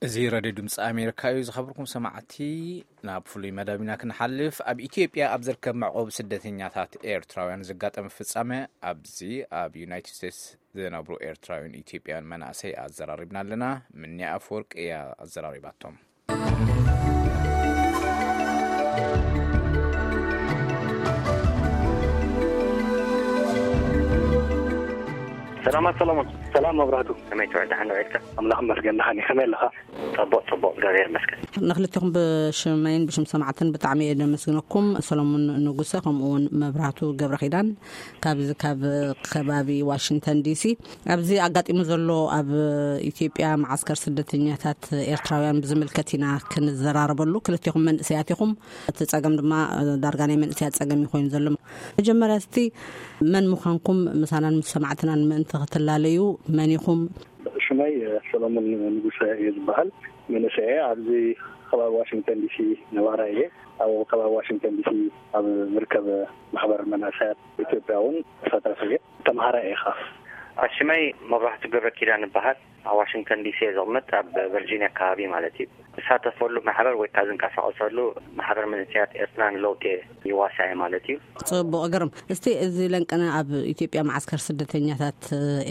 እዚ ሬድዮ ድምፂ ኣሜሪካ እዩ። ዝኸበርኩም ሰማዕቲ፣ ናብ ፍሉይ መደብ ኢና ክንሓልፍ። ኣብ ኢትዮጵያ ኣብ ዝርከብ መዕቆቢ ስደተኛታት ኤርትራውያን ዘጋጠመ ፍጻመ ኣብዚ ኣብ ዩናይትድ ስቴትስ ዝነብሩ ኤርትራውያን ኢትዮጵያውያን መናእሰይ ኣዘራሪብና ኣለና። ምንያ ኣፈወርቅ እያ ኣዘራሪባቶም። ሰላማት ሰሎሞን። ሰላም መብራህቱ። ከመይ ትውዕል? ደሓን ውዒልካ? ኣምላኽ ይመስገን፣ ደሓን እየ። ከመይ ኣለኻ? ጽቡቕ፣ ጽቡቕ፣ እግዚኣብሔር ይመስገን። ንክልቴኹም ብሽመይን ብሽም ሰማዕትን ብጣዕሚ እየ ደመስግነኩም። ሰሎሞን ንጉሰ ከምኡ እውን መብራህቱ ገብረ ኪዳን ካብዚ ካብ ከባቢ ዋሽንግተን ዲሲ። ኣብዚ ኣጋጢሙ ዘሎ ኣብ ኢትዮጵያ መዓስከር ስደተኛታት ኤርትራውያን ብዝምልከት ኢና ክንዘራረበሉ። ክልቴኹም መንእሰያት ኢኹም። እቲ ጸገም ድማ ዳርጋ ናይ መንእሰያት ጸገም እዩ ኮይኑ ዘሎ። መጀመርያ እስቲ መን ምዃንኩም ምሳናን ምስ ሰማዕትናን ምእንቲ ክትላለዩ፣ መን ኢኹም? ሽመይ ሰሎሞን ንጉሰ እየ ዝበሃል። መንእሰይ እየ። ኣብዚ ከባቢ ዋሽንግተን ዲሲ ነባራይ እየ። ኣብ ከባቢ ዋሽንግተን ዲሲ ኣብ ዝርከብ ማሕበር መናእሰያት ኢትዮጵያ እውን ተሳታፊ እየ። ተምሃራይ እየ ኸዓ። ሽመይ መብራህቱ ገብረ ኪዳን እበሃል። ኣብ ዋሽንግተን ዲሲ እየ ዘቕምጥ፣ ኣብ ቨርጂኒያ ከባቢ ማለት እዩ። ዝሳተፈሉ ማሕበር ወይ ከዓ ዝንቀሳቐሰሉ ማሕበር መንእሰያት ኤርትራ ንለውጢ ይዋሳእ ማለት እዩ። ጽቡቕ፣ ግርም። እስቲ እዚ ለንቅነ ኣብ ኢትዮጵያ መዓስከር ስደተኛታት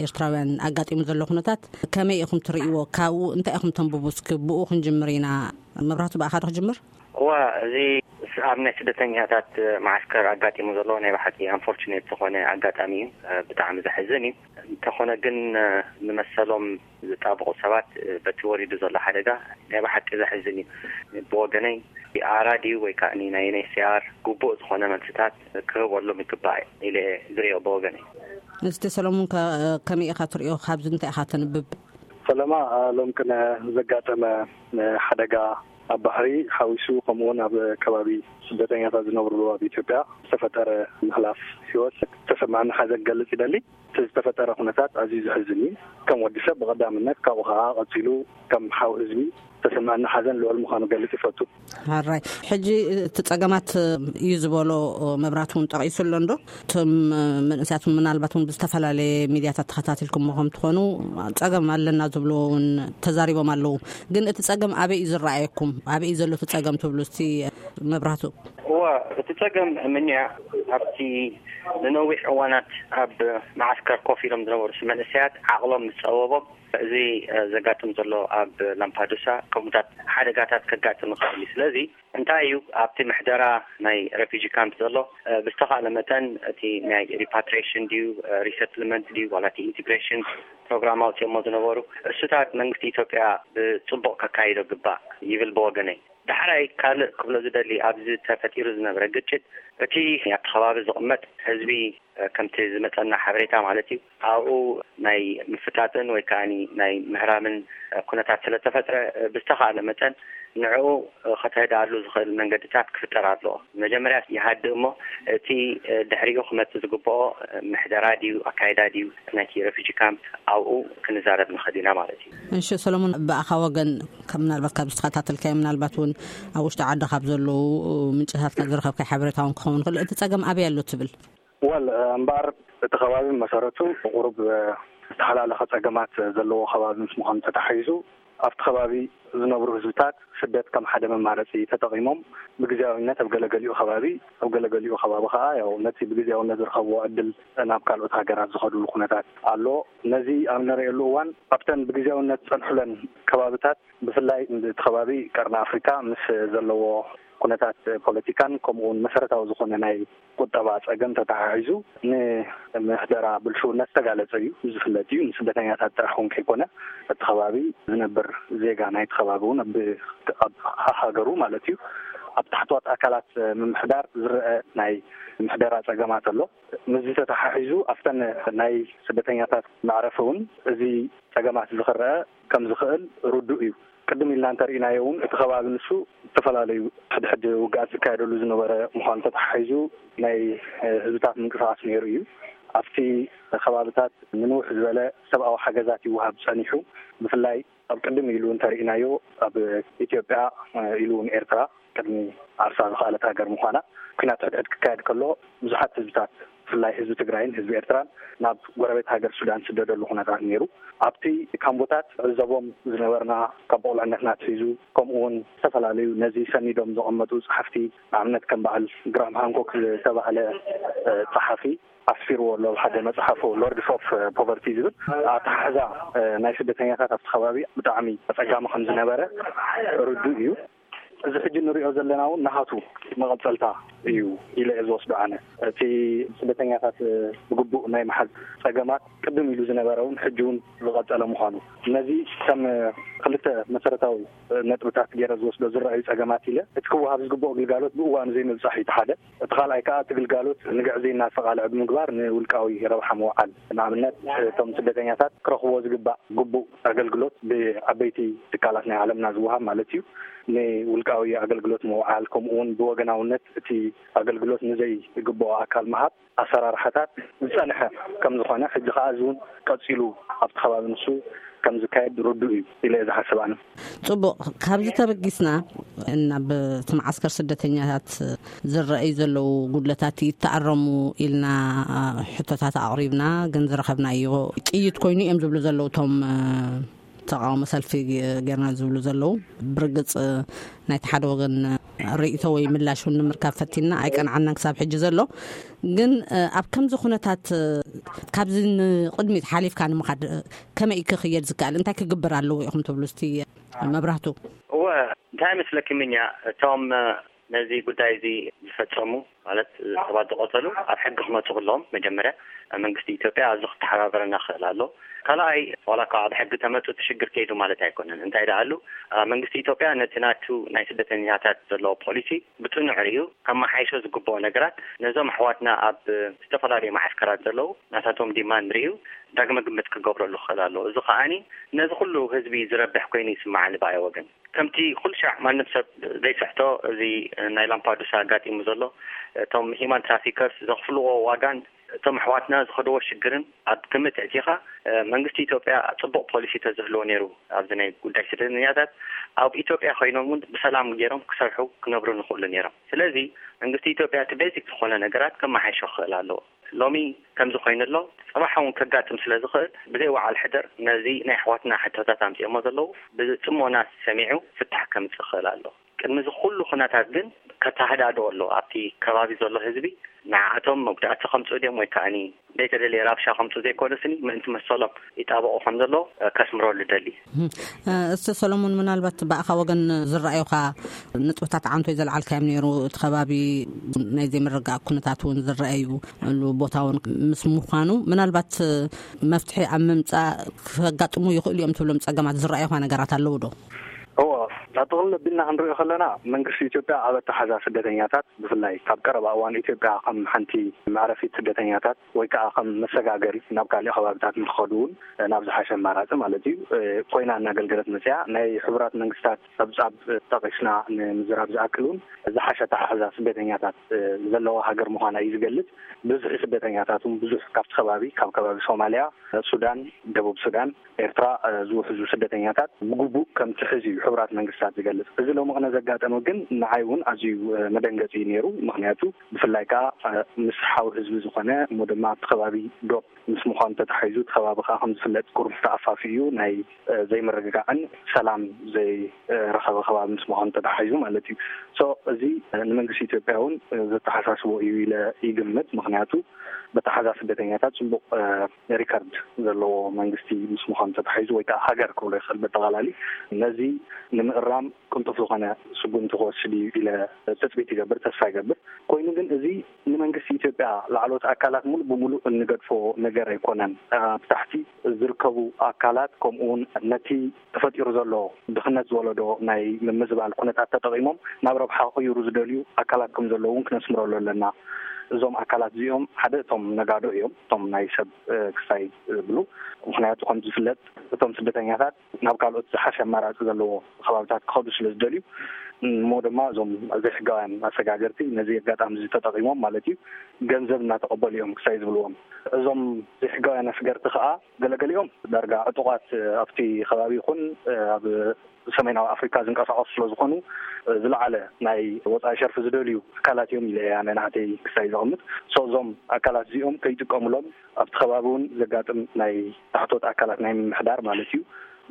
ኤርትራውያን ኣጋጢሙ ዘሎ ኩነታት ከመይ ኢኹም ትርእይዎ? ካብኡ እንታይ ኢኹም ተንብቡ? እስኪ ብኡ ክንጅምር ኢና። መብራህቱ፣ ብኣኻ ዶ ክጅምር? እዋ፣ እዚ ኣብ ናይ ስደተኛታት መዓስከር ኣጋጢሙ ዘሎ ናይ ብሓቂ ኣንፎርቹኔት ዝኾነ ኣጋጣሚ እዩ። ብጣዕሚ ዘሕዝን እዩ። እንተኾነ ግን ንመሰሎም ዝጣበቑ ሰባት በቲ ወሪዱ ዘሎ ሓደጋ ናይ ብሓቂ ዘሕዝን እዩ። ብወገነይ ኣራ ድዩ ወይ ከዓ ናይ ዩኤንኤችሲኣር ግቡእ ዝኾነ መልስታት ክህበሎም ይግባእ ኢለ ዝርእዮ ብወገነይ። እስቲ ሰሎሞን ከ-፣ ከመይ ኢኻ ትርእዮ? ካብዚ እንታይ ኢኻ ተንብብ? ፈለማ ሎም ቅነ ዘጋጠመ ሓደጋ ኣብ ባሕሪ ሓዊሱ ከምኡውን ኣብ ከባቢ ስደተኛታት ዝነብርሉ ኣብ ኢትዮጵያ ዝተፈጠረ ምሕላፍ ህይወት ዝተሰማዕኒ ሓዘን ክገልጽ ይደሊ። እቲ ዝተፈጠረ ኩነታት ኣዝዩ ዘሕዝን እዩ። ከም ወዲ ሰብ ብቐዳምነት፣ ካብኡ ኸዓ ቀጺሉ ከም ሓው ህዝቢ ዝተሰማዕኒ ሓዘን ልዑል ምዃኑ ክገልጽ ይፈቱ። ሕራይ። ሕጂ እቲ ጸገማት እዩ ዝበሎ መብራት እውን ጠቒሱ ኣሎ እንዶ? እቶም መንእሰያት እውን ምናልባት እውን ብዝተፈላለየ ሚድያታት ተኸታቲልኩሞ ከም ትኾኑ፣ ጸገም ኣለና ዝብልዎ እውን ተዛሪቦም ኣለዉ። ግን እቲ ጸገም ኣበይ እዩ ዝረኣየኩም? ኣበይ እዩ ዘሎ እቲ ጸገም ትብሉ እስቲ መብራህቱ? እወ፣ እቲ ጸገም ምንያ ኣብቲ ንነዊሕ እዋናት ኣብ መዓስከር ኮፍ ኢሎም ዝነበሩ መንእሰያት ዓቕሎም ምስ ጸበቦም፣ እዚ ዘጋጥም ዘሎ ኣብ ላምፓዱሳ ከምኡታት ሓደጋታት ከጋጥም ይኽእል እዩ። ስለዚ እንታይ እዩ ኣብቲ ምሕደራ ናይ ሬፊጂ ካምፕ ዘሎ? ብዝተኻእለ መጠን እቲ ናይ ሪፓትሪሽን ድዩ፣ ሪሰትልመንት ድዩ፣ ዋላ እቲ ኢንቲግሬሽን ፕሮግራም ኣውፅኦሞ ዝነበሩ እሱታት መንግስቲ ኢትዮጵያ ብፅቡቕ ከካይዶ ግባእ ይብል ብወገነይ። ዳሕራይ ካልእ ክብሎ ዝደሊ፣ ኣብዚ ተፈጢሩ ዝነበረ ግጭት፣ እቲ ኣብቲ ከባቢ ዝቕመጥ ህዝቢ፣ ከምቲ ዝመጸና ሓበሬታ ማለት እዩ፣ ኣብኡ ናይ ምፍጣጥን ወይ ከዓኒ ናይ ምህራምን ኩነታት ስለ ተፈጥረ፣ ብዝተኻእለ መጠን ንዕኡ ከተህድኣሉ ዝኽእል መንገድታት ክፍጠር ኣለዎ። መጀመርያ ይሃድእ እሞ፣ እቲ ድሕሪኡ ክመጽእ ዝግብኦ ምሕደራ ድዩ፣ ኣካይዳ ድዩ፣ ናይቲ ሬፊጂ ካምፕ ኣብኡ ክንዛረብ ንኽእል ኢና ማለት እዩ። እሺ ሰሎሞን፣ ብኣኻ ወገን፣ ካብ ምናልባት ካብ ዝተኸታተልካዮ፣ ምናልባት እውን ኣብ ውሽጢ ዓዲ ካብ ዘለዉ ምንጭታትካ ዝረኸብካዮ ሓበሬታ እውን ክኸውን ይኽእል፣ እቲ ጸገም ኣበይ ኣሎ ትብል? ወል እምበኣር፣ እቲ ከባቢ መሰረቱ ቁሩብ ዝተሓላለኸ ጸገማት ዘለዎ ከባቢ ምስ ምዃኑ ተታሒዙ፣ ኣብቲ ከባቢ ዝነብሩ ህዝብታት ስደት ከም ሓደ መማረጺ ተጠቒሞም፣ ብግዜያዊነት ኣብ ገለገሊኡ ከባቢ፣ ኣብ ገለገሊኡ ከባቢ ከኣ፣ ያው፣ ነቲ ብግዜያዊነት ዝረኸብዎ ዕድል ናብ ካልኦት ሃገራት ዝኸድሉ ኩነታት ኣሎ። ነዚ ኣብ ንርእየሉ እዋን፣ ኣብተን ብግዜያዊነት ዝጸንሑለን ከባብታት፣ ብፍላይ እቲ ከባቢ ቀርኒ ኣፍሪካ ምስ ዘለዎ ኩነታት ፖለቲካን ከምኡውን መሰረታዊ ዝኾነ ናይ ቁጠባ ጸገም ተተሓሒዙ፣ ንምሕደራ ብልሽውነት ዝተጋለጸ እዩ፣ ዝፍለጥ እዩ። ንስደተኛታት ጥራሕ እውን ከይኮነ፣ እቲ ከባቢ ዝነብር ዜጋ ናይቲ ከባቢ እውን ኣብ፣ ኣብ ሃገሩ ማለት እዩ፣ ኣብ ታሕተዎት ኣካላት ምምሕዳር ዝረአ ናይ ምሕደራ ጸገማት ኣሎ። ምስዚ ተተሓሒዙ፣ ኣብተን ናይ ስደተኛታት መዕረፊ እውን እዚ ጸገማት እዚ ክረአ ከም ዝኽእል ርዱእ እዩ። ቅድም ኢልና እንተርኢናዮ እውን፣ እቲ ከባቢ ንሱ ዝተፈላለዩ ሕድሕድ ውግኣት ዝካየደሉ ዝነበረ ምዃኑ ተተሓሒዙ፣ ናይ ህዝብታት ምንቅስቓስ ነይሩ እዩ። ኣብቲ ከባብታት ንንውሕ ዝበለ ሰብኣዊ ሓገዛት ይወሃብ ጸኒሑ። ብፍላይ ኣብ ቅድም ኢሉ እንተርኢናዮ፣ ኣብ ኢትዮጵያ ኢሉ እውን ኤርትራ፣ ቅድሚ ዓርሳ ዝኸኣለት ሃገር ምዃና፣ ኲናት ሕድሕድ ክካየድ ከሎ ብዙሓት ህዝብታት ብፍላይ ህዝቢ ትግራይን ህዝቢ ኤርትራን ናብ ጎረቤት ሃገር ሱዳን ዝስደደሉ ኩነታት ነይሩ። ኣብቲ ካምቦታት ዕዘቦም ዝነበርና ካብ ብቑልዕነትና ኣትሒዙ፣ ከምኡ እውን ዝተፈላለዩ ነዚ ሰኒዶም ዘቐመጡ ጸሓፍቲ፣ ንኣብነት ከም በዓል ግራም ሃንኮክ ዝተባህለ ጸሓፊ ኣስፊርዎ ኣሎ ኣብ ሓደ መጽሓፉ፣ ሎርድስ ኦፍ ፖቨርቲ ዝብል ኣተሓሕዛ ናይ ስደተኛታት ኣብቲ ከባቢ ብጣዕሚ ኣጸጋሚ ከም ዝነበረ ርዱእ እዩ። እዚ ሕጂ ንሪኦ ዘለና እውን ናሃቱ መቐጸልታ እዩ ኢለ እየ ዝወስዶ ኣነ። እቲ ስደተኛታት ብግቡእ ናይ ምሓዝ ጸገማት ቅድም ኢሉ ዝነበረ እውን ሕጂ እውን ዝቐጸለ ምዃኑ፣ ነዚ ከም ክልተ መሰረታዊ ነጥብታት ገይረ ዝወስዶ ዝረኣዩ ጸገማት ኢለ፣ እቲ ክወሃብ ዝግብኦ ግልጋሎት ብእዋኑ ዘይምብጻሕ እዩ እቲ ሓደ። እቲ ካልኣይ ከኣ እቲ ግልጋሎት ንግዕዝይና ዝተቓልዐ ብምግባር ንውልቃዊ ረብሓ ምውዓል። ንኣብነት እቶም ስደተኛታት ክረኽብዎ ዝግባእ ግቡእ ኣገልግሎት ብዓበይቲ ትካላት ናይ ዓለምና ዝወሃብ ማለት እዩ፣ ንውልቃዊ ኣገልግሎት ምውዓል፣ ከምኡ እውን ብወገናውነት እቲ ኣገልግሎት ንዘይግብኦ ኣካል ምሃብ ኣሰራርሓታት ዝጸንሐ ከም ዝኾነ፣ ሕጂ ከኣ እዚ እውን ቀጺሉ ኣብቲ ከባቢ ንሱ ከም ዝካየድ ርዱእ እዩ ኢለ እየ ዝሓስብ ኣነ። ጽቡቕ፣ ካብዚ ተበጊስና ናብ እቲ መዓስከር ስደተኛታት ዝረኣዩ ዘለዉ ጉድለታት ይተኣረሙ ኢልና ሕቶታት ኣቕሪብና፣ ግን ዝረኸብናዮ ጥይት ኮይኑ እዮም ዝብሉ ዘለዉ እቶም ተቃውሞ ሰልፊ ጌርና ዝብሉ ዘለዉ። ብርግጽ ናይቲ ሓደ ወገን ርእይቶ ወይ ምላሽ እውን ንምርካብ ፈቲና ኣይቀንዓናን ክሳብ ሕጂ ዘሎ። ግን ኣብ ከምዚ ኩነታት ካብዚ ንቕድሚት ሓሊፍካ ንምኻድ ከመይ ክኽየድ ዝከኣል፣ እንታይ ክግበር ኣለዎ ኢኹም ትብሉ? እስቲ መብራህቱ። እወ፣ እንታይ መስለኪ ምኛ፣ እቶም ነዚ ጉዳይ እዚ ዝፈጸሙ፣ ማለት ሰባት ዝቐተሉ፣ ኣብ ሕጊ ክመጹ ክለዎም መጀመርያ መንግስቲ ኢትዮጵያ ኣብዚ ክተሓባበረና ክኽእል ኣሎ። ካልኣይ፣ ዋላ እኳ ኣብ ሕጊ ተመጹ እቲ ሽግር ከይዱ ማለት ኣይኮነን። እንታይ ደኣ ኣሉ፣ መንግስቲ ኢትዮጵያ ነቲ ናቱ ናይ ስደተኛታት ዘለዎ ፖሊሲ ብጽኑዕ ርእዩ ከመሓይሾ ዝግብኦ ነገራት፣ ነዞም ኣሕዋትና ኣብ ዝተፈላለዩ መዓስከራት ዘለዉ ናታቶም ዲማንድ ርእዩ ዳግመ ግምት ክገብረሉ ክኽእል ኣለዎ። እዚ ከኣኒ ነዚ ኩሉ ህዝቢ ዝረብሕ ኮይኑ ይስምዓኒ ብኣይ ወገን። ከምቲ ኩሉ ሻዕ ማንም ሰብ ዘይስሕቶ፣ እዚ ናይ ላምፓዱሳ ኣጋጢሙ ዘሎ፣ እቶም ሂማን ትራፊከርስ ዘኽፍልዎ ዋጋን እቶም ኣሕዋትና ዝኸድዎ ሽግርን ኣብ ግምት ኣእቲኻ፣ መንግስቲ ኢትዮጵያ ጽቡቕ ፖሊሲ ተዝህልዎ ነይሩ፣ ኣብዚ ናይ ጉዳይ ስደተኛታት ኣብ ኢትዮጵያ ኮይኖም እውን ብሰላም ገይሮም ክሰርሑ ክነብሩ ንኽእሉ ነይሮም። ስለዚ መንግስቲ ኢትዮጵያ እቲ ቤዚክ ዝኾነ ነገራት ከመሓይሾ ክኽእል ኣለዎ። ሎሚ ከምዚ ኮይኑ ኣሎ፣ ጽባሕ እውን ከጋጥም ስለ ዝኽእል፣ ብዘይ ወዓል ሕደር ነዚ ናይ ኣሕዋትና ሕቶታት ኣምጺኦሞ ዘለዉ ብጽሞና ሰሚዑ ፍታሕ ከምጽእ ክኽእል ኣለዎ። ቅድሚ እዚ ኩሉ ኩነታት ግን ከተሃዳድኦ ኣለዎ። ኣብቲ ከባቢ ዘሎ ህዝቢ ንዓኣቶም መጉዳእቲ ከምጽኡ ድዮም ወይ ከኣኒ ዘይተደልየ ራብሻ ከምጽኡ ዘይኮነስኒ፣ ምእንቲ መሰሎም ይጣበቑ ከም ዘለዉ ከስምረሉ ደሊ። እም፣ እስቲ ሰሎሞን፣ ምናልባት ብኣኻ ወገን ዝረኣዩኻ ነጥብታት ዓንቶ ዘልዓልካዮም ነይሩ። እቲ ከባቢ ናይ ዘይምርግጋእ ኩነታት እውን ዝረኣዩሉ ቦታ እውን ምስ ምዃኑ፣ ምናልባት መፍትሒ ኣብ ምምጻእ ከጋጥሙ ይኽእሉ እዮም ትብሎም ጸገማት ዝረኣዩኻ ነገራት ኣለዉ ዶ? እዎ፣ ጠቕልል ኣቢልና ክንሪኦ ከለና፣ መንግስቲ ኢትዮጵያ ኣብ ኣተሓዛ ስደተኛታት፣ ብፍላይ ካብ ቀረባ እዋን ኢትዮጵያ ከም ሓንቲ መዕረፊት ስደተኛታት ወይ ከዓ ከም መሰጋገሪ ናብ ካሊእ ከባቢታት ንክኸዱ እውን፣ ናብ ዝሓሸ ኣማራፂ ማለት እዩ፣ ኮይና እናገልገለት መፅያ። ናይ ሕቡራት መንግስታት ፀብፃብ ጠቒስና ንምዝራብ ዝኣክል እውን፣ ዝሓሸ ኣተሓሕዛ ስደተኛታት ዘለዋ ሃገር ምዃና እዩ ዝገልፅ። ብዝሒ ስደተኛታት እውን ብዙሕ ካብቲ ከባቢ፣ ካብ ከባቢ ሶማልያ፣ ሱዳን፣ ደቡብ ሱዳን፣ ኤርትራ፣ እ፣ ዝውሕዙ ስደተኛታት ብግቡእ ከም ትሕዝ እዩ ሕቡራት መንግስታት ዝገልጽ። እዚ ሎሚ ቅነ ዘጋጠመ ግን ንዓይ እውን ኣዝዩ፣ እ፣ መደንገጺ እዩ ነይሩ። ምኽንያቱ ብፍላይ ከኣ፣ እ፣ ምስ ሓው ህዝቢ ዝኾነ፣ እሞ ድማ ኣብቲ ከባቢ ዶብ ምስ ምዃኑ ተታሒዙ፣ እቲ ከባቢ ከኣ ከም ዝፍለጥ ቁሩብ ተኣፋፊ እዩ። ናይ፣ እ፣ ዘይምርግጋዕን ሰላም ዘይ-፣ እ፣ ረኸበ ከባቢ ምስ ምዃኑ ተታሒዙ ማለት እዩ። ሶ፣ እዚ፣ እ፣ ንመንግስቲ ኢትዮጵያ እውን፣ እ፣ ዘተሓሳስቦ እዩ ኢለ ይግምት። ምኽንያቱ በተሓዛ ስደተኛታት ጽቡቕ፣ እ፣ ሪከርድ ዘለዎ መንግስቲ ምስ ምዃኑ ተታሒዙ፣ ወይ ከዓ ሃገር ክብሎ ይኽእል በጠቓላሊ፣ ነዚ ንምእራም ቅልጡፍ ዝኾነ ስጉምቲ ክወስድ እዩ ኢለ ትጽቢት ይገብር፣ ተስፋ ይገብር። ኮይኑ ግን እዚ ንመንግስቲ ኢትዮጵያ ላዕለዎት ኣካላት ሙሉእ ብሙሉእ እንገድፎ ነገር ኣይኮነን። ኣብ ታሕቲ ዝርከቡ ኣካላት ከምኡ እውን ነቲ ተፈጢሩ ዘሎ ድኽነት ዝወለዶ ናይ ምምዝባል ኩነታት ተጠቒሞም ናብ ረብሓ ክቕይሩ ዝደልዩ ኣካላት ከም ዘለዉ እውን ክነስምረሉ ኣለና። እዞም ኣካላት እዚኦም ሓደ እቶም ነጋዶ እዮም፣ እቶም ናይ ሰብ፣ እ፣ ክሳይ ዝብሉ። ምኽንያቱ ከም ዝፍለጥ እቶም ስደተኛታት ናብ ካልኦት ዝሓሸ ኣማራፂ ዘለዎ ከባቢታት ክኸዱ ስለ ዝደልዩ፣ እሞ ድማ እዞም ዘይሕጋውያን ኣሰጋገርቲ ነዚ ኣጋጣሚ እዚ ተጠቒሞም ማለት እዩ፣ ገንዘብ እናተቐበሉ እዮም ክሳይ ዝብልዎም። እዞም ዘይሕጋውያን ኣስገርቲ ከዓ ገለገሊኦም ዳርጋ ዕጡቓት ኣብቲ ከባቢ ይኹን ኣብ ሰሜናዊ ኣፍሪካ ዝንቀሳቐሱ ስለ ዝኾኑ፣ ዝለዓለ ናይ ወፃኢ ሸርፊ ዝደልዩ ኣካላት እዮም ኢለ ኣነ ናተይ ክሳይ ዘቐምጥ። So እዞም ኣካላት እዚኦም ከይጥቀሙሎም ኣብቲ ከባቢ እውን ዘጋጥም ናይ ታሕቶት ኣካላት ናይ ምምሕዳር ማለት እዩ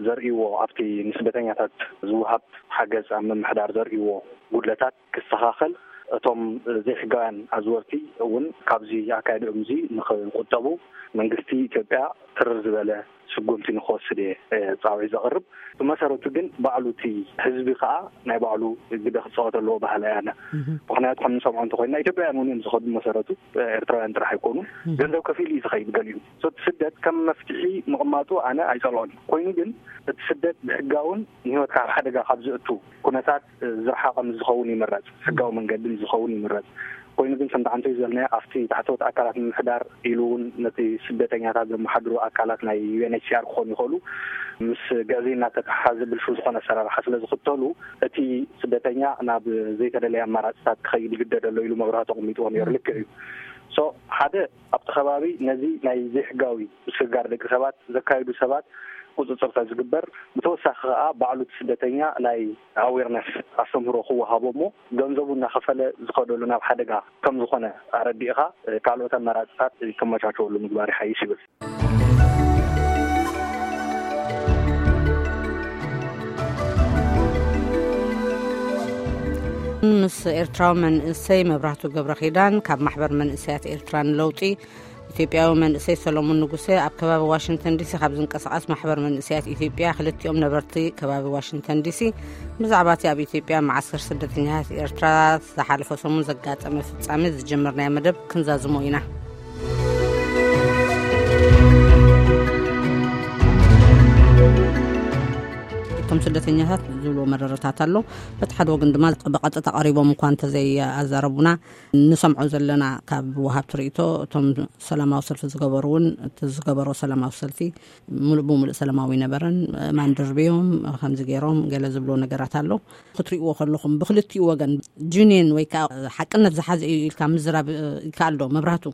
ዘርእይዎ፣ ኣብቲ ንስደተኛታት ዝወሃብ ሓገዝ ኣብ ምምሕዳር ዘርእይዎ ጉድለታት ክስተኻኸል፣ እቶም ዘይሕጋውያን ኣዝወርቲ እውን ካብዚ ኣካይድኦም እዚ ንክቁጠቡ መንግስቲ ኢትዮጵያ ትርር ዝበለ ስጉምቲ ንክወስድ እየ ፃውዒት ዘቕርብ። ብመሰረቱ ግን ባዕሉ እቲ ህዝቢ ከዓ ናይ ባዕሉ ግደ ክፃወት ኣለዎ ባህል ኣያና። ምክንያቱ ከም ንሰምዖ እንተኮይና ኢትዮጵያውያን እውን እዮም ዝኸዱ። ብመሰረቱ ኤርትራውያን ጥራሕ ኣይኮኑን። ገንዘብ ከፊሉ እዩ ዝኸይድ ገሊኡ። So እቲ ስደት ከም መፍትሒ ምቕማጡ ኣነ ኣይፀልኦን። ኮይኑ ግን እቲ ስደት ብሕጋውን ንህይወትካ ኣብ ሓደጋ ካብ ዝእቱ ኩነታት ዝረሓቐ ምስ ዝኸውን ይምረፅ፣ ሕጋዊ መንገዲ ምስ ዝኸውን ይምረፅ። ኮይኑ ግን ከምቲ ዓንተይ ዝበልናዮ ኣብቲ ታሕተዎት ኣካላት ምምሕዳር ኢሉ እውን ነቲ ስደተኛታት ዘመሓድሩ ኣካላት ናይ ዩ ኤን ኤች ሲ ኣር ክኾኑ ይኽእሉ ምስ ግዕዝይና ተተሓሓዘ ብልሹ ዝኾነ ኣሰራርሓ ስለ ዝኽተሉ እቲ ስደተኛ ናብ ዘይተደለየ ኣማራፅታት ክኸይድ ይግደድ ኣሎ ኢሉ መብራህቲ ኣቐሚጥዎ ነይሩ። ልክዕ እዩ። So ሓደ ኣብቲ ከባቢ ነዚ ናይ ዘይሕጋዊ ምስግጋር ደቂ ሰባት ዘካይዱ ሰባት ቁፅፅር ተዝግበር፣ ብተወሳኺ ከዓ ባዕሉ እቲ ስደተኛ ናይ ኣዌርነስ ኣስተምህሮ ክወሃቦ እሞ ገንዘቡ እናኸፈለ ዝኸደሉ ናብ ሓደጋ ከም ዝኾነ ኣረዲእኻ ካልኦት ኣማራፅታት ከመቻቸወሉ ምግባር ይሓይሽ ይብል። ምስ ኤርትራዊ መንእሰይ መብራህቱ ገብረ ኪዳን ካብ ማሕበር መንእሰያት ኤርትራ ንለውጢ፣ ኢትዮጵያዊ መንእሰይ ሰሎሙን ንጉሴ ኣብ ከባቢ ዋሽንግተን ዲሲ ካብ ዝንቀሳቐስ ማሕበር መንእሰያት ኢትዮጵያ፣ ክልቲኦም ነበርቲ ከባቢ ዋሽንግተን ዲሲ፣ ብዛዕባ እቲ ኣብ ኢትዮጵያ መዓስከር ስደተኛታት ኤርትራ ዝሓለፈ ሰሙን ዘጋጠመ ፍጻሜ ዝጀመርናዮ መደብ ክንዛዝሞ ኢና። እቶም ስደተኛታት ዝብልዎ መረረታት ኣሎ። በቲ ሓደ ወገን ድማ ብቐጥታ ቀሪቦም እኳ እንተዘይኣዛረቡና፣ ንሰምዖ ዘለና ካብ ወሃብቲ ርእይቶ፣ እቶም ሰላማዊ ሰልፊ ዝገበሩ እውን፣ እቲ ዝገበሮ ሰላማዊ ሰልፊ ሙሉእ ብሙሉእ ሰላማዊ ነበረን፣ ማንደርብዮም ከምዚ ገይሮም ገለ ዝብሎ ነገራት ኣሎ። ክትርእይዎ ከለኹም ብክልቲኡ ወገን ጅኒን ወይ ከዓ ሓቅነት ዝሓዘ እዩ ኢልካ ምዝራብ ይከኣል ዶ? መብራህቱ።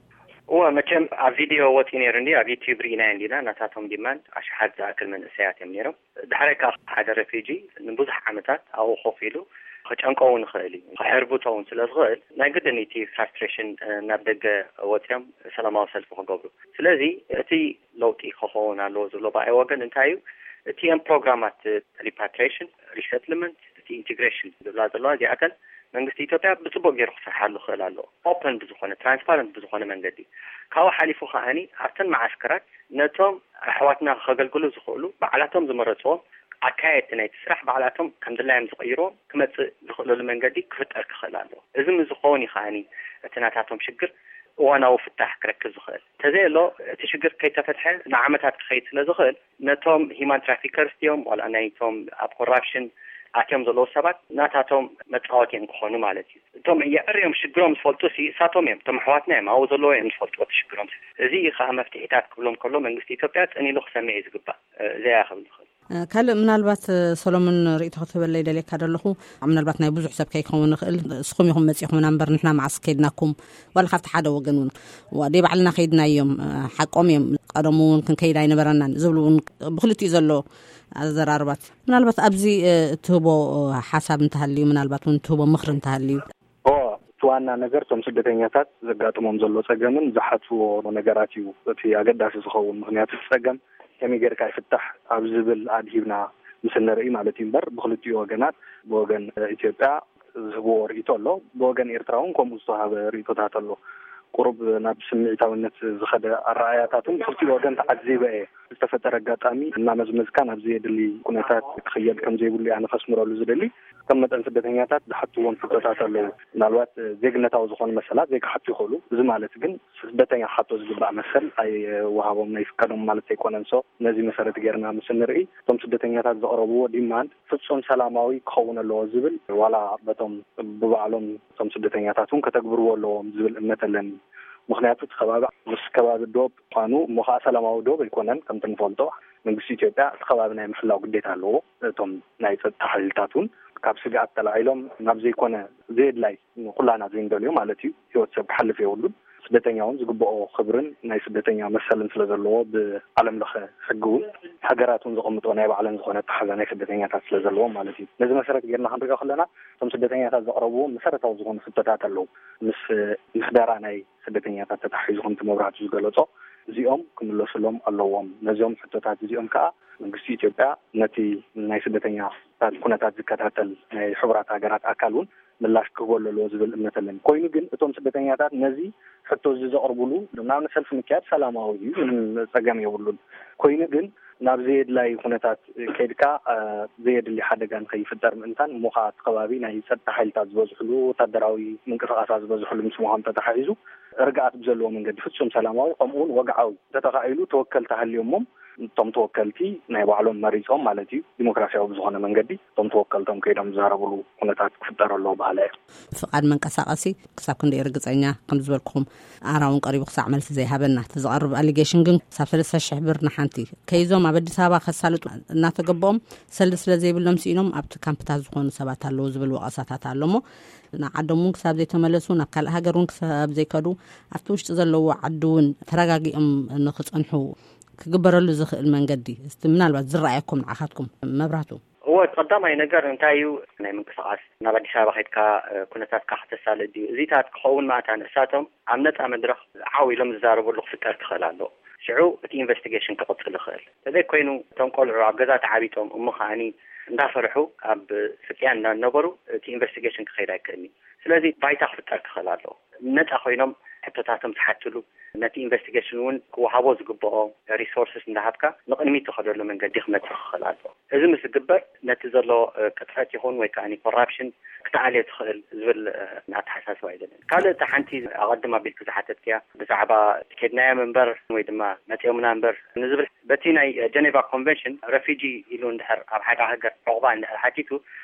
እወ፣ መቸም ኣብ ቪድዮ ወፂኡ ነይሩ እንዲ ኣብ ዩቲዩብ ርኢናዮ እንዲና። ናታቶም ዲማንድ ኣሽሓት ዝኣክል መንእሰያት እዮም ነይሮም። ድሕራይ ከዓ ሓደ ሬፊጂ ንብዙሕ ዓመታት ኣብኡ ኮፍ ኢሉ ክጨንቆ እውን ይኽእል እዩ፣ ክሕርብቶ እውን ስለ ዝኽእል ናይ ግድን እቲ ፍራስትሬሽን ናብ ደገ ወፂኦም ሰላማዊ ሰልፊ ክገብሩ። ስለዚ እቲ ለውጢ ክኸውን ኣለዎ ዝብሎ ብኣይ ወገን እንታይ እዩ? እቲኤን ፕሮግራማት ሪፓትሪሽን፣ ሪሰትልመንት፣ እቲ ኢንቴግሬሽን ዝብላ ዘለዋ እዚኣተን መንግስቲ ኢትዮጵያ ብፅቡቅ ገይሩ ክሰርሓሉ ክኽእል ኣለዎ። ኦፐን ብዝኾነ ትራንስፓረንት ብዝኾነ መንገዲ ካብኡ ሓሊፉ ከዓኒ ኣብተን መዓስከራት ነቶም ኣሕዋትና ከገልግሉ ዝኽእሉ ባዕላቶም ዝመረፅዎም ኣካየድቲ ናይቲ ስራሕ ባዕላቶም ከም ድላዮም ዝቕይርዎም ክመፅእ ዝኽእለሉ መንገዲ ክፍጠር ክኽእል ኣለዎ። እዚ ምስ ዝኸውን እዩ ከዓኒ እቲ ናታቶም ሽግር እዋናዊ ፍታሕ ክረክብ ዝኽእል። እንተዘየሎ እቲ ሽግር ከይተፈትሐ ንዓመታት ክኸይድ ስለ ዝኽእል ነቶም ሂማን ትራፊከርስ ድዮም ዋላ ናይቶም ኣብ ኮራፕሽን ኣትዮም ዘለዉ ሰባት ናታቶም መፃወቲ እዮም ክኾኑ ማለት እዩ። እቶም የዕርዮም ሽግሮም ዝፈልጡ ሲ እሳቶም እዮም፣ እቶም ኣሕዋትና እዮም ኣብኡ ዘለዉ እዮም ዝፈልጡ እቲ ሽግሮም። እዚ እዩ ከዓ መፍትሒታት ክብሎም ከሎ መንግስቲ ኢትዮጵያ ፅን ኢሉ ክሰምዕ እዩ ዝግባእ። እዚኣ እያ ክብል ዝኽእል። ካልእ ምናልባት ሰሎሞን ርእይቶ ክትህበለይ ደልየካ ደለኹ። ምናልባት ናይ ብዙሕ ሰብ ከይከውን ይኽእል፣ እስኹም ኢኹም መጺኹምና እምበር ንሕና መዓስ ከይድናኩም ዋላ ካብቲ ሓደ ወገን እውን ዋ ደይ ባዕልና ከይድና እዮም። ሓቆም እዮም። ቀደሙ እውን ክንከይድ ኣይነበረናን ዝብሉ እውን ብክልቲኡ ዘሎ ኣዘራርባት ምናልባት ኣብዚ እትህቦ ሓሳብ እንተሃልዩ ምናልባት እውን እትህቦ ምኽሪ እንተሃልዩ። ኦ እቲ ዋና ነገር እቶም ስደተኛታት ዘጋጥሞም ዘሎ ጸገምን ዝሓትዎ ነገራት እዩ እቲ ኣገዳሲ ዝኸውን። ምክንያቱ እቲ ጸገም ከመይ ጌርካ ይፍታሕ ኣብ ዝብል ኣድሂብና ምስ እንርኢ ማለት እዩ እምበር ብክልቲኡ ወገናት ብወገን ኢትዮጵያ ዝህብዎ ርእይቶ ኣሎ፣ ብወገን ኤርትራ እውን ከምኡ ዝተዋሃበ ርእይቶታት ኣሎ። ቁሩብ ናብ ስምዒታዊነት ዝኸደ ኣረኣያታትን ብክልቲኡ ወገን ተዓዚበ እየ። ዝተፈጠረ ኣጋጣሚ እናመዝመዝካ ናብ ዘየድሊ ኩነታት ክኽየድ ከም ዘይብሉ እያ ንኸስምረሉ ዝደሊ። ከም መጠን ስደተኛታት ዝሓትዎም ሕቶታት ኣለዉ። ምናልባት ዜግነታዊ ዝኾኑ መሰላት ዘይክሓቱ ይኽእሉ። እዚ ማለት ግን ስደተኛ ክሓቶ ዝግባእ መሰል ኣይወሃቦም ኣይፍቀዶም ማለት ኣይኮነን። So ነዚ መሰረት ጌርና ምስ እንርኢ እቶም ስደተኛታት ዘቕረብዎ ዲማንድ ፍጹም ሰላማዊ ክኸውን ኣለዎ ዝብል ዋላ በቶም ብባዕሎም እቶም ስደተኛታት እውን ከተግብርዎ ኣለዎም ዝብል እምነት ኣለኒ። ምኽንያቱ እቲ ከባቢ ምስ ከባቢ ዶብ ምዃኑ እሞ ከዓ ሰላማዊ ዶብ ኣይኮነን። ከምቲ ንፈልጦ መንግስቲ ኢትዮጵያ እቲ ከባቢ ናይ ምሕላው ግዴታ ኣለዎ። እቶም ናይ ፀጥታ ሓይልታት እውን ካብ ስግኣት ተላዒሎም ናብ ዘይኮነ ዘየድላይ ንኩላና ዘይንደልዮ ማለት እዩ ህይወት ሰብ ክሓልፍ የብሉን። ስደተኛ እውን ዝግብኦ ክብርን ናይ ስደተኛ መሰልን ስለ ዘለዎ፣ ብዓለም ለኸ ሕጊ እውን ሃገራት እውን ዘቐምጦ ናይ ባዕለን ዝኾነ ኣተሓዛ ናይ ስደተኛታት ስለ ዘለዎም ማለት እዩ። ነዚ መሰረት ጌርና ክንሪኦ ከለና፣ እቶም ስደተኛታት ዘቕረብዎም መሰረታዊ ዝኾኑ ሕቶታት ኣለዉ። ምስ ምሕደራ ናይ ስደተኛታት ተታሒዙ፣ ከምቲ መብራህቱ ዝገለጾ፣ እዚኦም ክምለሱሎም ኣለዎም። ነዚኦም ሕቶታት እዚኦም ከኣ መንግስቲ ኢትዮጵያ ነቲ ናይ ስደተኛታት ኩነታት ዝከታተል ናይ ሕቡራት ሃገራት ኣካል እውን ምላሽ ክህበሉ ኣለዎ ዝብል እምነት ኣለኒ። ኮይኑ ግን እቶም ስደተኛታት ነዚ ሕቶ እዚ ዘቕርብሉ፣ ንኣብነት ሰልፊ ምክያድ ሰላማዊ እዩ፣ ምንም ጸገም የብሉን። ኮይኑ ግን ናብ ዘየድላይ ኩነታት ከይድካ፣ እ፣ ዘየድሊ ሓደጋ ንኸይፍጠር ምእንታን፣ እሞ ኸኣ እቲ ከባቢ ናይ ጸጥታ ሓይልታት ዝበዝሕሉ፣ ወታደራዊ ምንቅስቓሳት ዝበዝሕሉ ምስ ምዃኑ ተተሓሒዙ፣ ርግኣት ብዘለዎ መንገዲ ፍጹም ሰላማዊ፣ ከምኡውን ወግዓዊ እንተተኻኢሉ፣ ተወከልቲ ሃልዮሞም፣ እቶም ተወከልቲ ናይ ባዕሎም መሪጾም ማለት እዩ፣ ዲሞክራሲያዊ ብዝኾነ መንገዲ እቶም ተወከልቶም ከይዶም ዝዛረብሉ ኩነታት ክፍጠር ኣለዎ በሃላይ እየ። ፍቓድ መንቀሳቐሲ ክሳብ ክንደይ ርግጸኛ ከም ዝበልኩኹም፣ ኣራውን ቀሪቡ ክሳዕ መልሲ ዘይሃበና፣ እቲ ዝቐርብ ኣሊጌሽን ግን ክሳብ ሰለስተ ሽሕ ብር ንሓንቲ ከይዞም ኣብ ኣዲስ ኣበባ ከሳልጡ እናተገበኦም ሰልዲ ስለ ዘይብሎም ስኢኖም ኣብቲ ካምፕታት ዝኾኑ ሰባት ኣለዉ ዝብል ወቐሳታት ኣሎ። እሞ ንዓዶም እውን ክሳብ ዘይተመለሱ፣ ናብ ካልእ ሃገር እውን ክሳብ ዘይከዱ፣ ኣብቲ ውሽጢ ዘለዎ ዓዲ እውን ተረጋጊኦም ንክጸንሑ ክግበረሉ ዝኽእል መንገዲ እስቲ ምናልባት ዝረኣየኩም ንዓኻትኩም መብራህቱ? እወ፣ እቲ ቀዳማይ ነገር እንታይ እዩ? ናይ ምንቅስቓስ፣ ናብ ኣዲስ ኣበባ ከይድካ፣ እ፣ ኩነታትካ ከተሳልጥ ድዩ? እዚታት ክኸውን ማእታ ንሳቶም ኣብ ነጻ መድረኽ ዓው ኢሎም ዝዛረብሉ ክፍጠር ክኽእል ኣለዎ። ሽዑ እቲ ኢንቨስቲጌሽን ክቕጽል ይኽእል። እንተዘይኮይኑ፣ እቶም ቆልዑ ኣብ ገዛ ተዓቢጦም እሞ ከኣኒ እንዳፈርሑ ኣብ ስቅያ እንዳነበሩ እቲ ኢንቨስቲጌሽን ክኸይድ ኣይክእልኒ። ስለዚ ባይታ ክፍጠር ክኽእል ኣለዎ። ነጻ ኮይኖም ሕቶታቶም ዝሓትሉ፣ ነቲ ኢንቨስቲጌሽን እውን ክወሃቦ ዝግብኦ ሪሶርስስ እንዳሃብካ ንቕድሚት ትኸደሉ መንገዲ ክመጽእ ክኽእል ኣለዎ። እዚ ምስ ዝግበር ነቲ ዘሎ፣ እ፣ ቅጥፈት ይኹን ወይ ከኣ ኮራፕሽን ክትኣልዮ ትኽእል ዝብል፣ እ፣ ኣተሓሳስባ እዩ ዘለኒ። ካልእ፣ እቲ ሓንቲ ኣቐድም ኣቢልኪ ዝሓተትክያ ብዛዕባ ከድናዮም እምበር ወይ ድማ መጺኦምና እምበር ንዝብል፣ በቲ ናይ ጀኔቫ ኮንቨንሽን ረፊጂ ኢሉ እንድሕር ኣብ ሓደ ሃገር ዑቕባ እንድሕር ሓቲቱ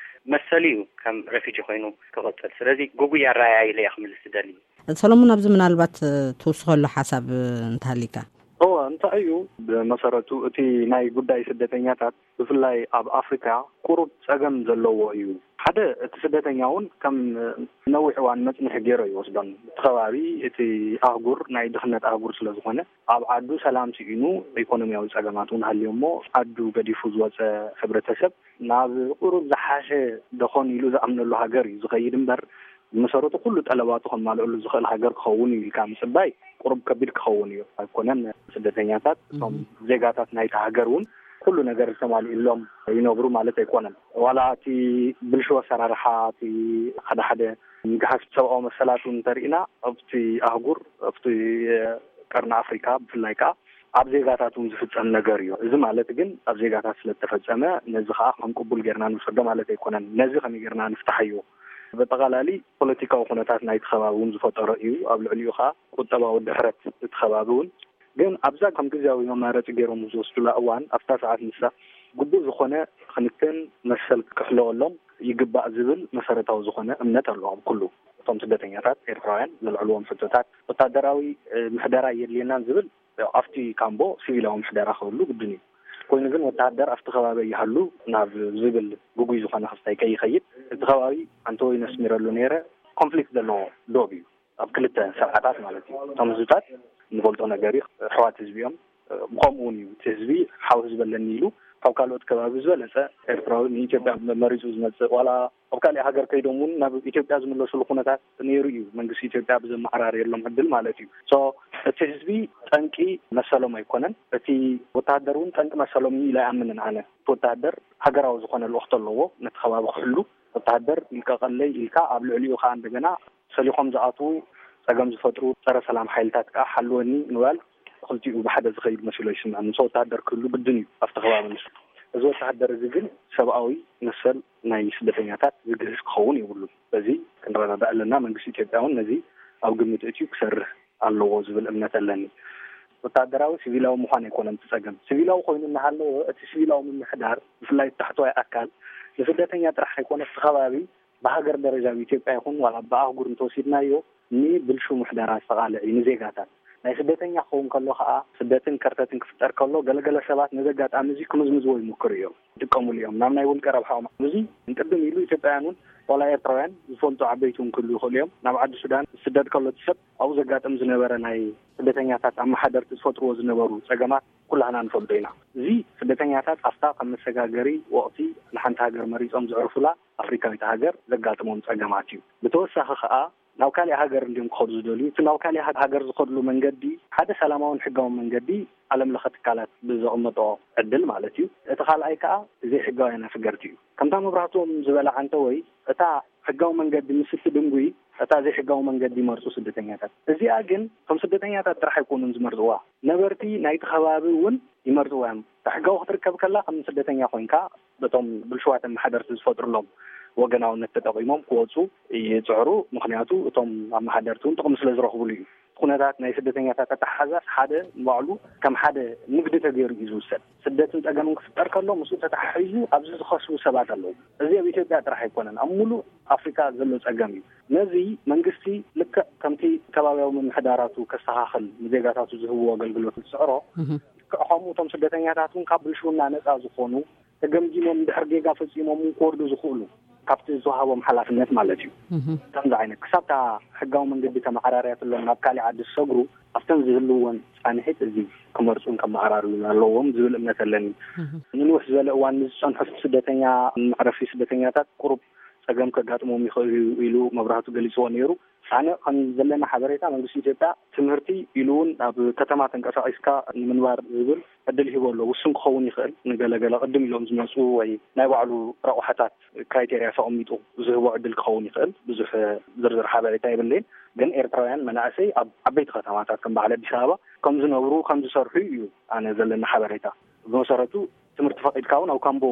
መሰሉ እዩ ከም ረፊጂ ኮይኑ ክቕጽል። ስለዚ ግጉይ ኣረኣእያ ኢለ እየ ክምልስ ዝደሊ። ሰሎሞን፣ ኣብዚ ምናልባት፣ እ፣ ትውስኸሉ ሓሳብ፣ እ፣ እንተሃሊካ? እወ፣ እንታይ እዩ፣ ብመሰረቱ እቲ ናይ ጉዳይ ስደተኛታት ብፍላይ ኣብ ኣፍሪካ ቁሩብ ጸገም ዘለዎ እዩ። ሓደ፣ እቲ ስደተኛ እውን ከም ነዊሕ እዋን መጽንሒ ገይሮ ይወስዶን። እቲ ከባቢ፣ እቲ ኣህጉር ናይ ድኽነት ኣህጉር ስለ ዝኾነ፣ ኣብ ዓዱ ሰላም ስኢኑ ኢኮኖሚያዊ ጸገማት እውን ሃልዮ እሞ፣ ዓዱ ገዲፉ ዝወጸ ሕብረተሰብ ናብ ቁሩብ ዝሓሸ ደኾን ኢሉ ዝኣምነሉ ሃገር እዩ ዝኸይድ እምበር፣ ብመሰረቱ ኩሉ ጠለባቱ ከማልእሉ ዝኽእል ሃገር ክኸውን እዩ ኢልካ ምጽባይ ቁሩብ ከቢድ ክኸውን እዩ። ኣይኮነን፣ ስደተኛታት እቶም እም። ዜጋታት ናይቲ ሃገር እውን ኩሉ ነገር ዝተማልእሎም ይነብሩ ማለት ኣይኮነን። ዋላ እቲ ብልሹ ኣሰራርሓ፣ እቲ ሓደ ሓደ ምግሃስ ሰብኣዊ መሰላት እውን እንተርኢና፣ ኣብቲ ኣህጉር፣ ኣብቲ ቀርኒ ኣፍሪካ ብፍላይ ከዓ ኣብ ዜጋታት እውን ዝፍጸም ነገር እዩ። እዚ ማለት ግን ኣብ ዜጋታት ስለ ዝተፈጸመ ነዚ ከዓ ከም ቅቡል ጌርና ንውሰዶ ማለት ኣይኮነን። ነዚ ከመይ ጌርና ንፍታሓዮ? በጠቓላሊ ፖለቲካዊ ኩነታት ናይቲ ከባቢ እውን ዝፈጠሮ እዩ። ኣብ ልዕሊኡ ከዓ ቁጠባዊ ድሕረት እቲ ከባቢ እውን። ግን ኣብዛ ከም ግዝያዊ መማረፂ ገይሮም ዝወስዱላ እዋን፣ ኣብታ ሰዓት ንሳ ግቡእ ዝኾነ ክንክን መሰል ክሕለወሎም ይግባእ ዝብል መሰረታዊ ዝኾነ እምነት ኣሎ ኣብ ኩሉ እቶም ስደተኛታት ኤርትራውያን ዘልዕልዎም ሕቶታት። ወታደራዊ፣ እ፣ ምሕደራ የድልየናን ዝብል፣ ያው፣ ኣብቲ ካምቦ ሲቪላዊ ምሕደራ ክህሉ ግድን እዩ። ኮይኑ ግን ወታደር ኣብቲ ከባቢ ይሃሉ ናብ ዝብል ግጉይ ዝኾነ ክስታይ ከይኸይድ፣ እቲ ከባቢ ኣንተወይ ነስሚረሉ ነይረ፣ ኮንፍሊክት ዘለዎ ዶብ እዩ። ኣብ ክልተ ስርዓታት ማለት እዩ። እቶም ህዝብታት ንፈልጦ ነገር እዩ። ኣሕዋት ህዝቢ እዮም። ብኸምኡ እውን እዩ እቲ ህዝቢ ሓው ህዝቢ ኣለኒ ኢሉ ካብ ካልኦት ከባቢ ዝበለጸ ኤርትራዊ ንኢትዮጵያ መሪጹ ዝመጽእ፣ ዋላ ኣብ ካልእ ሃገር ከይዶም እውን ናብ ኢትዮጵያ ዝምለሱሉ ኩነታት ነይሩ እዩ። መንግስቲ ኢትዮጵያ ብዘመዓራረየሎም ዕድል ማለት እዩ። ሶ እቲ ህዝቢ ጠንቂ መሰሎም ኣይኮነን። እቲ ወተሃደር እውን ጠንቂ መሰሎም እዩ ኢለ ኣይኣምንን ኣነ። እቲ ወተሃደር ሃገራዊ ዝኾነ ልእኽቶ ኣለዎ፣ ነቲ ከባቢ ክሕሉ። ወተሃደር ይልቀቐለይ ኢልካ ኣብ ልዕሊኡ ከዓ እንደገና ሰሊኾም ዝኣትዉ ጸገም ዝፈጥሩ ጸረ ሰላም ሓይልታት ከዓ ሓልወኒ ምባል ክልቲኡ ብሓደ ዝኸይድ መሲሎ ይስምዐኒ። ምስ ወተሃደር ክህሉ ግድን እዩ ኣብቲ ከባቢ ንሱ። እዚ ወተሃደር እዚ ግን ሰብኣዊ መሰል ናይ ስደተኛታት ዝግህስ ክኸውን የብሉን። በዚ ክንረዳዳእ ኣለና። መንግስቲ ኢትዮጵያ እውን ነዚ ኣብ ግምት እትዩ ክሰርህ ኣለዎ ዝብል እምነት ኣለኒ። ወተሃደራዊ ሲቪላዊ ምዃን ኣይኮነን እቲ ጸገም። ሲቪላዊ ኮይኑ እናሃለወ እቲ ሲቪላዊ ምምሕዳር ብፍላይ እቲ ታሕተዋይ ኣካል ንስደተኛ ጥራሕ ኣይኮነ እቲ ከባቢ ብሃገር ደረጃ ኣብ ኢትዮጵያ ይኹን ዋላ ብኣህጉር እንተወሲድናዮ ንብልሹ ምሕደራ ዝተቓልዕ እዩ ንዜጋታት። ናይ ስደተኛ ክኸውን ከሎ ከዓ፣ ስደትን ከርተትን ክፍጠር ከሎ፣ ገለገለ ሰባት ነዚ ኣጋጣሚ እዚ ክምዝምዝዎ ይምክሩ እዮም፣ ይጥቀሙሉ እዮም ናብ ናይ ውልቀ ረብሓኦም። እዚ እንቅድም ኢሉ ኢትዮጵያውያን እውን ዋላ ኤርትራውያን ዝፈልጡ ዓበይቲ እውን ክህሉ ይኽእሉ እዮም። ናብ ዓዲ ሱዳን ዝስደድ ከሎ እቲ ሰብ ኣብኡ ዘጋጥም ዝነበረ ናይ ስደተኛታት ኣመሓደርቲ ዝፈጥርዎ ዝነበሩ ጸገማት ኩላህና ንፈልጦ ኢና። እዚ ስደተኛታት ኣብታ ከም መሰጋገሪ ወቕቲ ንሓንቲ ሃገር መሪጾም ዘዕርፉላ ኣፍሪካዊት ሃገር ዘጋጥሞም ጸገማት እዩ። ብተወሳኺ ከኣ ናብ ካሊእ ሃገር እንዲዮም ክኸዱ ዝደልዩ። እቲ ናብ ካሊእ ሃ-፣ ሃገር ዝኸድሉ መንገዲ ሓደ ሰላማውን ሕጋውን መንገዲ ዓለም ለኸ ትካላት ብዘቐመጦ ዕድል ማለት እዩ። እቲ ካልኣይ ከኣ ዘይሕጋውያን ኣፍገርቲ እዩ። ከምታ መብራህቶም ዝበላ ዓንተ ወይ እታ ሕጋዊ መንገዲ ምስ እትድንጉይ፣ እታ ዘይሕጋዊ መንገዲ ይመርጹ ስደተኛታት። እዚኣ ግን ከም ስደተኛታት ጥራሕ ኣይኮኑን ዝመርጽዋ። ነበርቲ ናይቲ ከባቢ እውን ይመርጽዋ እዮም። እታ ሕጋዊ ክትርከብ ከላ ከም ስደተኛ ኮይንካ በቶም ብልሽዋት ኣመሓደርቲ ዝፈጥሩሎም ወገናውነት ተጠቒሞም ክወጹ ይጽዕሩ። ምኽንያቱ እቶም ኣመሓደርቲ እውን ጥቕሚ ስለ ዝረኽብሉ እዩ። ኩነታት ናይ ስደተኛታት ኣተሓሕዛስ ሓደ ንባዕሉ ከም ሓደ ንግዲ ተገይሩ እዩ ዝውሰድ። ስደትን ጸገምን ክፍጠር ከሎ ምስኡ ተተሓሒዙ ኣብዚ ዝኸስቡ ሰባት ኣለዉ። እዚ ኣብ ኢትዮጵያ ጥራሕ ኣይኮነን፣ ኣብ ሙሉእ ኣፍሪካ ዘሎ ጸገም እዩ። ነዚ መንግስቲ ልክዕ ከምቲ ከባቢያዊ ምምሕዳራቱ ከስተኻኽል ንዜጋታቱ ዝህብዎ ኣገልግሎት ዝስዕሮ፣ እህ። ልክዕ ከምኡ እቶም ስደተኛታት እውን ካብ ብልሽውና ነጻ ዝኾኑ፣ ተገምጊሞም ድሕር ጌጋ ፈጺሞም እውን ክወርዱ ዝኽእሉ ካብቲ ዝተዋህቦም ሓላፍነት ማለት እዩ። እህ። ከምዚ ዓይነት ክሳብታ ሕጋዊ መንገዲ ተመዓራርያትሎም ናብ ካሊእ ዓዲ ዝሰግሩ፣ ኣብተን ዝህልወን ጻንሒት እዚ ክመርጹን ከመዓራርዩን ኣለዎም ዝብል እምነት ኣለኒ። እህ። ንንውሕ ዝበለ እዋን ንዝጸንሑ ስደተኛ፣ መዕረፊ ስደተኛታት ቁሩብ ጸገም ከጋጥሞም ይኽእል እዩ ኢሉ መብራህቱ ገሊጽዎ ነይሩ። ኣነ ከም ዘለና ሓበሬታ መንግስቲ ኢትዮጵያ ትምህርቲ ኢሉ እውን ኣብ ከተማ ተንቀሳቒስካ ንምንባር ዝብል ዕድል ሂቡ ኣሎ። ውሱን ክኸውን ይኽእል፣ ንገለገለ ቅድም ኢሎም ዝመጹ ወይ ናይ ባዕሉ ረቑሓታት ክራይቴርያ ተቐሚጡ ዝህቦ ዕድል ክኸውን ይኽእል። ብዙሕ ዝርዝር ሓበሬታ የብለይን። ግን ኤርትራውያን መናእሰይ ኣብ ዓበይቲ ከተማታት ከም በዓል ኣዲስ ኣበባ ከም ዝነብሩ፣ ከም ዝሰርሑ እዩ ኣነ ዘለና ሓበሬታ። ብመሰረቱ ትምህርቲ ፈቒድካ እውን ኣብ ካምቦ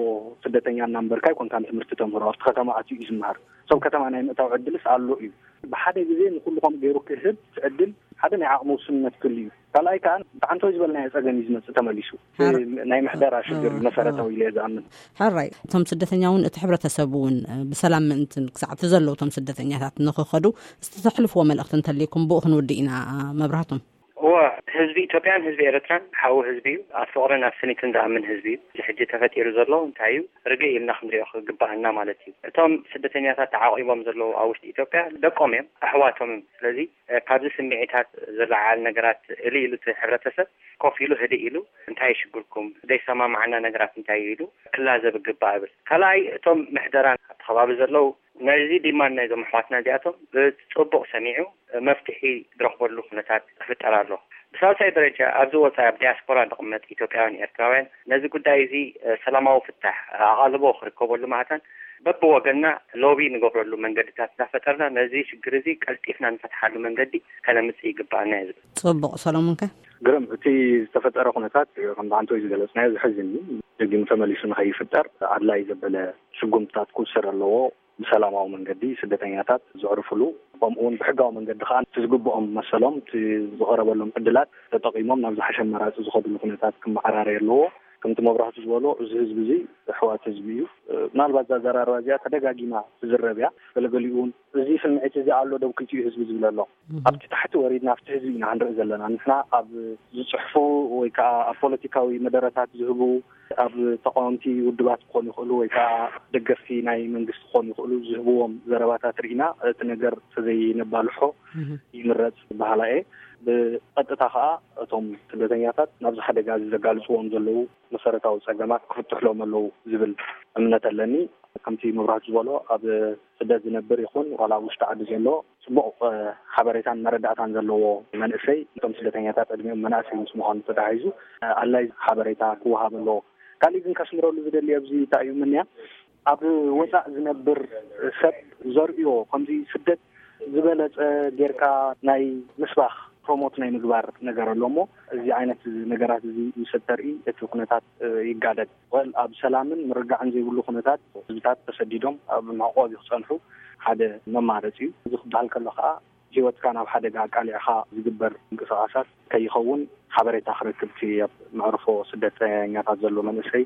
ስደተኛ እናንበርካ ኣይኮንካን ትምህርቲ ተምህሮ፣ ኣብቲ ከተማ ኣትዩ እዩ ዝመሃር። ሰብ ከተማ ናይ ምእታው ዕድልስ ኣሎ እዩ። ብሓደ ግዜ ንኩሉ ከምኡ ገይሩ ክህብ እቲ ዕድል ሓደ ናይ ዓቕሚ ውስንነት ክህሉ እዩ። ካልኣይ ከዓ ብዓንተወይ ዝበልናዮ ጸገም እዩ ዝመጽእ ተመሊሱ። ሓር-፣ ናይ ምሕደራ ሽግር ሓር-፣ መሰረታዊ ኢለ እየ ዝኣምን። ሓራይ፣ እቶም ስደተኛ እውን እቲ ሕብረተሰብ እውን ብሰላም ምእንትን ክሳዕ እቲ ዘለዉ እቶም ስደተኛታት ንኽኸዱ ዝተሕልፍዎ መልእኽቲ እንተልይኩም ብኡ ክንውድእ ኢና። መብራህቶም። እወ፣ ህዝቢ ኢትዮጵያን ህዝቢ ኤርትራን ሓው ህዝቢ እዩ። ኣብ ፍቕርን ኣብ ስኒትን ዝኣምን ህዝቢ እዩ። እዚ ሕጂ ተፈጢሩ ዘሎ እንታይ እዩ? ርግእ ኢልና ክንሪኦ ክግባኣና ማለት እዩ። እቶም ስደተኛታት ተዓቒቦም ዘለዉ ኣብ ውሽጢ ኢትዮጵያ ደቆም እዮም፣ ኣሕዋቶም እዮም። ስለዚ፣ እ፣ ካብዚ ስምዒታት ዝለዓል ነገራት እልይ ኢሉ እቲ ሕብረተሰብ ኮፍ ኢሉ ህድእ ኢሉ እንታይ ይሽግርኩም? ዘይሰማምዓና ነገራት እንታይ እዩ ኢሉ ክላዘብ ይግባእ እብል። ካልኣይ፣ እቶም ምሕደራ ኣብቲ ከባቢ ዘለዉ ነዚ ዲማንድ ናይዞም ኣሕዋትና እዚኣቶም ብጽቡቕ ሰሚዑ መፍትሒ ዝረኽበሉ ኩነታት ክፍጠር ኣሎ። ብሳልሳይ ደረጃ ኣብዚ ወጻኢ ኣብ ዲያስፖራ ንቕመጥ ኢትዮጵያውያን ኤርትራውያን ነዚ ጉዳይ እዚ፣ እ፣ ሰላማዊ ፍታሕ ኣቓልቦ ክርከበሉ ማዕታን በብወገንና ሎቢ ንገብረሉ መንገድታት እናፈጠርና ነዚ ሽግር እዚ ቀልጢፍና ንፈትሓሉ መንገዲ ከነምጽእ ይግባኣና እዩ ዝብል። ጽቡቕ ሰሎሞንከ? ግርም፣ እቲ ዝተፈጠረ ኩነታት ከም ብዓንተወይ ዝገለጽናዮ ዘሕዝን እዩ። ደጊሙ ተመሊሱ ንኸይፍጠር ኣድላይ ዘበለ ስጉምትታት ክውሰድ ኣለዎ። ብሰላማዊ መንገዲ ስደተኛታት ዘዕርፍሉ፣ ከምኡ እውን ብሕጋዊ መንገዲ ከዓ እቲ ዝግብኦም መሰሎም፣ እቲ ዝቐረበሎም ዕድላት ተጠቒሞም ናብ ዝሓሸ ኣማራፂ ዝኸድሉ ኩነታት ክመዓራረይ ኣለዎ። ከምቲ መብራህቱ ዝበሎ፣ እዚ ህዝቢ እዚ ኣሕዋት ህዝቢ እዩ። ምናልባት እዛ ዘራርባ እዚኣ ተደጋጊማ ትዝረብ እያ። ገለገሊኡ እውን እዚ ስምዒት እዚ ኣሎ ዶ ኣብ ክልቲኡ ህዝቢ ዝብል ኣሎ። ኣብቲ ታሕቲ ወሪድና ኣብቲ ህዝቢ ኢና ክንርኢ ዘለና። ንሕና ኣብ ዝፅሕፉ ወይ ከዓ ኣብ ፖለቲካዊ መደረታት ዝህቡ፣ ኣብ ተቃወምቲ ውድባት ክኾኑ ይኽእሉ ወይ ከዓ ደገፍቲ ናይ መንግስቲ ክኾኑ ይኽእሉ፣ ዝህብዎም ዘረባታት ርኢና እቲ ነገር ተዘይነባልሖ ይምረፅ በሃላ እየ። ብቐጥታ ከዓ እቶም ስደተኛታት ናብዚ ሓደጋ እዚ ዘጋልፅዎም ዘለዉ መሰረታዊ ፀገማት ክፍትሕሎም ኣለዉ ዝብል እምነት ኣለኒ። ከምቲ መብራህቱ ዝበሎ፣ ኣብ ስደት ዝነብር ይኹን ዋላ ኣብ ውሽጢ ዓዲ ዘሎ፣ ጽቡቕ፣ እ፣ ሓበሬታን መረዳእታን ዘለዎ መንእሰይ፣ እቶም ስደተኛታት ዕድሚኦም መናእሰይ ምስ ምዃኑ ተታሒዙ፣ እ፣ ኣድላይ ሓበሬታ ክወሃብ ኣለዎ። ካሊእ ግን ከስምረሉ ዝደሊ ኣብዚ እንታይ እዩ ምንያ፣ ኣብ ወጻእ ዝነብር ሰብ ዘርእዮ ከምዚ ስደት ዝበለጸ ጌርካ ናይ ምስባኽ፣ ፕሮሞት ናይ ምግባር ነገር ኣሎ እሞ፣ እዚ ዓይነት ነገራት እዚ ምስ እተርኢ እቲ ኩነታት፣ እ፣ ይጋደድ። ወል ኣብ ሰላምን ምርጋዕን ዘይብሉ ኩነታት ህዝብታት ተሰዲዶም ኣብ መዕቆቢ ክጸንሑ ሓደ መማረጺ እዩ። እዚ ክበሃል ከሎ ከኣ ህይወትካ ናብ ሓደጋ ኣቃሊዕኻ ዝግበር ምንቅስቓሳት ከይኸውን ሓበሬታ ክረክብ እቲ ኣብ መዕርፎ ስደተኛታት ዘሎ መንእሰይ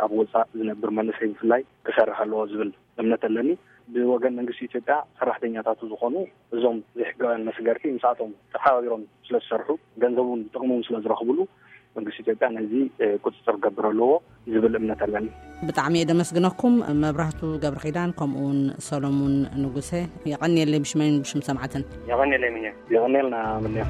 ኣብ ወጻእ ዝነብር መንእሰይ ብፍላይ ክሰርሕ ኣለዎ ዝብል እምነት ኣለኒ። ብወገን መንግስቲ ኢትዮጵያ ሰራሕተኛታቱ ዝኾኑ እዞም ዘይሕጋውያን መስገርቲ ምስኣቶም ተሓባቢሮም ስለዝሰርሑ፣ ገንዘቡን ጥቕሙን ስለዝረኽብሉ መንግስቲ ኢትዮጵያ ነዚ ቁፅፅር ክገብር ኣለዎ ዝብል እምነት ኣለኒ። ብጣዕሚ እየ ደመስግነኩም። መብራህቱ ገብረ ኪዳን ከምኡ እውን ሰሎሙን ንጉሰ፣ የቐንየለይ ብሽመይን ብሽም ሰማዕትን። የቐንየለይ ምንዮ። የቐንየልና ምንዮ።